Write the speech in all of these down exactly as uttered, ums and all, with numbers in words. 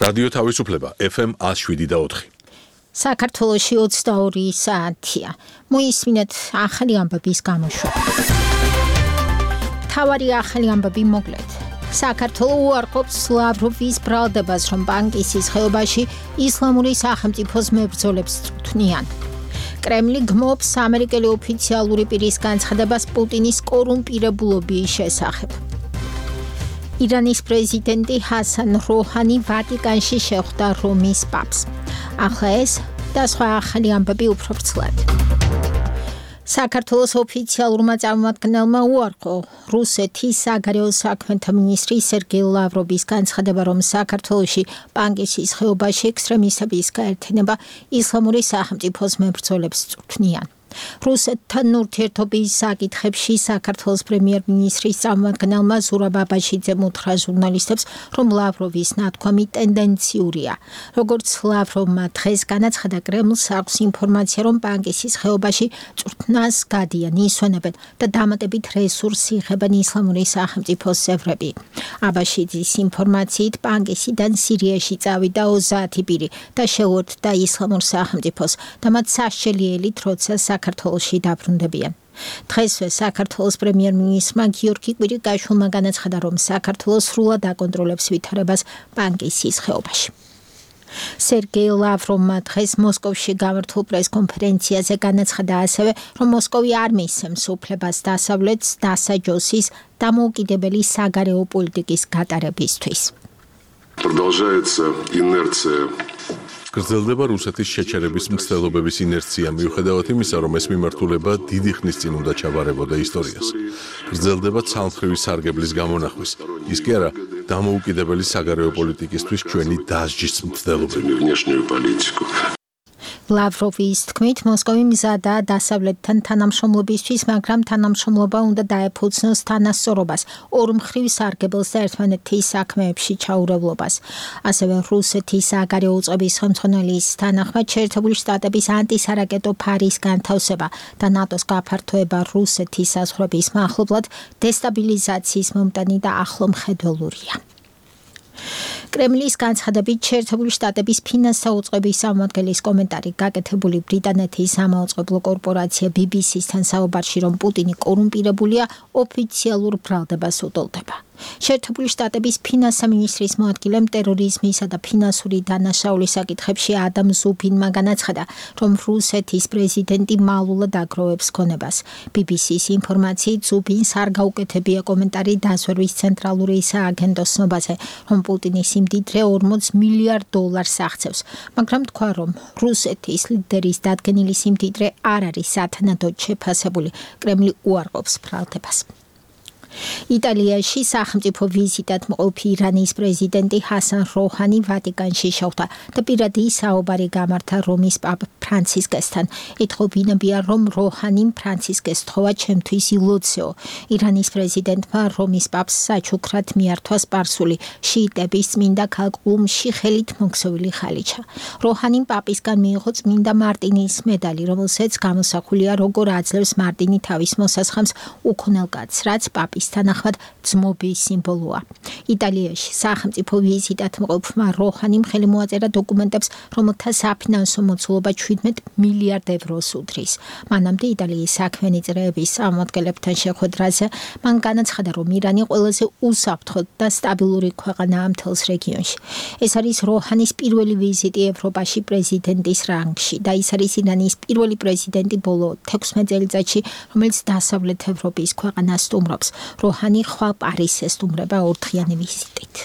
რადიო თავისუფლება ეფ ემ one oh seven და four. საქართველოში ოცდაორი საათია. მოისმინეთ ახალი ამბების გამოშვება. თავარი ახალი ამბები მოკლედ. საქართველო უარყოფს ლავროვის ბრალდებას, რომ ბანკისის ხეობაში ისლამური სახელმწიფოს მებრძოლებს წვრთნიან. კრემლი გმობს ამერიკელი ოფიციალური პირის განცხადებას პუტინის კორუმპირებულობის შესახებ. ირანის პრეზიდენტი ჰასან როჰანი ვატიკანში შეხვდა რომის პაპს. ახლა ეს და სხვა ახალი ამბები უფრო ვრცლად. საქართველოს ოფიციალურმა წარმომადგენელმა უარყო რუსეთის საგარეო საქმეთა მინისტრი სერგეი ლავროვის განცხადება, რომ საქართველოში ბანკისის ხეობაში ექსტრემისტების გაერთიანება ისლამური სახელმწიფოს მებრძოლებს წვრთნიან. რუსეთთან ურთიერთობის საკითხებში საქართველოს პრემიერ-მინისტრის წარმომადგენელმა ზურაბ აბაშიძემ უთხრა ჟურნალისტებს, რომ ლავროვის ნათქვამი ტენდენციურია. როგორც ლავროვმა დღეს განაცხადა, კრემლს აქვს ინფორმაცია, რომ ბანკისის ხეობაში წვრთნას გადიან, ისვენებენ და დამატებით რესურსს იღებენ ისლამური სახელმწიფოს წევრები. აბაშიძის ინფორმაციით ბანკისიდან სირიაში წავიდა ოცდაათი პირი და შეუერთდა ისლამურ სახელმწიფოს და მათ სასჯელიელით, როცა საქართველოში დაბრუნდებიან. დღესვე საქართველოს პრემიერ-მინისტრმა გიორგი კვირიკაშვილმა განაცხადა, რომ საქართველოს სრულად აკონტროლებს ვითარებას ბანკისის ხეობაში. სერგეი ლავროვმა დღეს მოსკოვში გამართულ პრეს-კონფერენციაზე განაცხადა ასევე, რომ მოსკოვი არ მისცემს უფლებას დასავლეთს დასაჯოსის დამოუკიდებელი საგარეო პოლიტიკის გატარებისთვის. Продолжается инерция. გრძელდება რუსეთის შეჩერების მცდელობების ინერცია, მიუხედავად იმისა, რომ ეს მიმართულება დიდი ხნის წინ უნდა ჩაბარებოდა ისტორიას. გრძელდება ცალმხრივი სარგებლის გამონახვის, ის კი არა დამოუკიდებელი საგარეო პოლიტიკისთვის ჩვენი დასჯის მცდელობები. ლავროვის თქმით, მოსკოვი მზადაა დასავლეთთან თანამშრომლობისთვის, მაგრამ თანამშრომლობა უნდა დაეფუძნოს თანასწორობას, ორმხრივ სარგებელს და ერთმანეთის საქმეებში ჩაურევლობას. ასევე რუსეთის საგარეო უწყების ხელმძღვანელის თანახმად, შეერთებული შტატების ანტისარაკეტო ფარის განთავსება და ნატოს გაფართოება რუსეთის საზღვრების მახლობლად დესტაბილიზაციის მომტანი და ახლო მხედველურია. კრემლის განცხადებით, შეერთებული შტატების ფინანსთა უწყების წარმომადგენლის კომენტარი გაკეთებული ბრიტანეთის სამაუწყებლო კორპორაცია ბი ბი სისთან საუბარში, რომ პუტინი კორუმპირებულია, ოფიციალურ ბრალდებას უტოლდება. შეერთებული შტატების ფინანსთა მინისტრის მოადგილემ ტერორიზმისა და ფინანსური დანაშაულის საკითხებში ადამ ზუბინმა განაცხადა, რომ რუსეთის პრეზიდენტი მალულად აგროვებს ქონებას. ბი ბი სის ინფორმაციით, ზუბინს არ გაუკეთებია კომენტარი დაზვერვის ცენტრალური სააგენტოს ცნობაზე, რომ პუტინი სიმდიდრე ორმოც მილიარდ დოლარს აღწევს, მაგრამ თქვა, რომ რუსეთის ლიდერის დადგენილი სიმდიდრე არ არის სათანადოდ შეფასებული. კრემლი უარყოფს ბრალდებას. იტალიაში სახელმწიფო ვიზიტად მყოფი ირანის პრეზიდენტი ჰასან როჰანი ვატიკანში შეხვდა და პირადი საუბარი გამართა რომის პაპ ფრანცისკესთან. ეთხოვინებია, რომ როჰანიმ ფრანცისკეს თხოვა ჩემთვის ილოცეო. ირანის პრეზიდენტმა რომის პაპს საჩუქრად მიართვა სპარსული შიიტების წმინდა ქალაქ ყუმში ხელით მოქცეული ხალიჩა. როჰანიმ პაპისგან მიიღო წმინდა მარტინის მედალი, რომელსაც გამოსახულია, როგორ აძლევს მარტინი თავის მოსასხამს უქონელ კაცს, რაც პაპის თანახმად ძმობის სიმბოლოა. იტალიაში სახელმწიფო ვიზიტად მყოფმა როჰანიმ ხელი მოაწერა დოკუმენტებს, რომელთა საფინანსო მოცულობა შვიდმეტ მილიარდ ევროს უდრის. მანამდე იტალიის საქმიანი წრეების წარმომადგენლებთან შეხვედრაზე მან განაცხადა, რომ ირანი ყველაზე უსაფრთხო და სტაბილური ქვეყანაა მთელს რეგიონში. ეს არის როჰანის პირველი ვიზიტი ევროპაში პრეზიდენტის რანგში და ის არის ირანის პირველი პრეზიდენტი ბოლო თექვსმეტ წელიწადში, რომელიც დასავლეთ ევროპის ქვეყანას სტუმრობს. როჰანი ხვალ პარიზს ესტუმრება ორდღიანი ვიზიტით.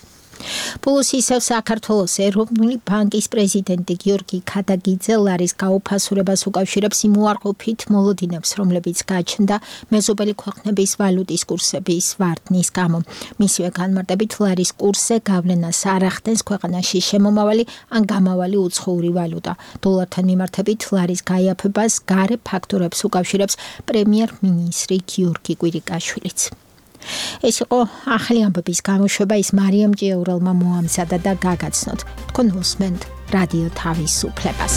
ბოლოს ისევ საქართველოს ეროვნული ბანკის პრეზიდენტი გიორგი ქადაგიძე ლარის გაუფასურებას უკავშირებს იმ უარყოფით მოლოდინებს, რომლებიც გაჩნდა მეზობელი ქვეყნების ვალუტის კურსების ვარდნის გამო. მისივე განმარტებით, ლარის კურსზე გავლენას არ ახდენს ქვეყანაში შემომავალი ან გამავალი უცხოური ვალუტა. დოლართან მიმართებით ლარის გაიაფებას გარე ფაქტორებს უკავშირებს პრემიერ-მინისტრი გიორგი კვირიკაშვილიც. ეს იყო ახალი ამბების გამოშვება, ის მარიამ ჭიაურელმა მოამზადა და გაგაცნოთ. თქვენ უსმენთ რადიო თავისუფლებას.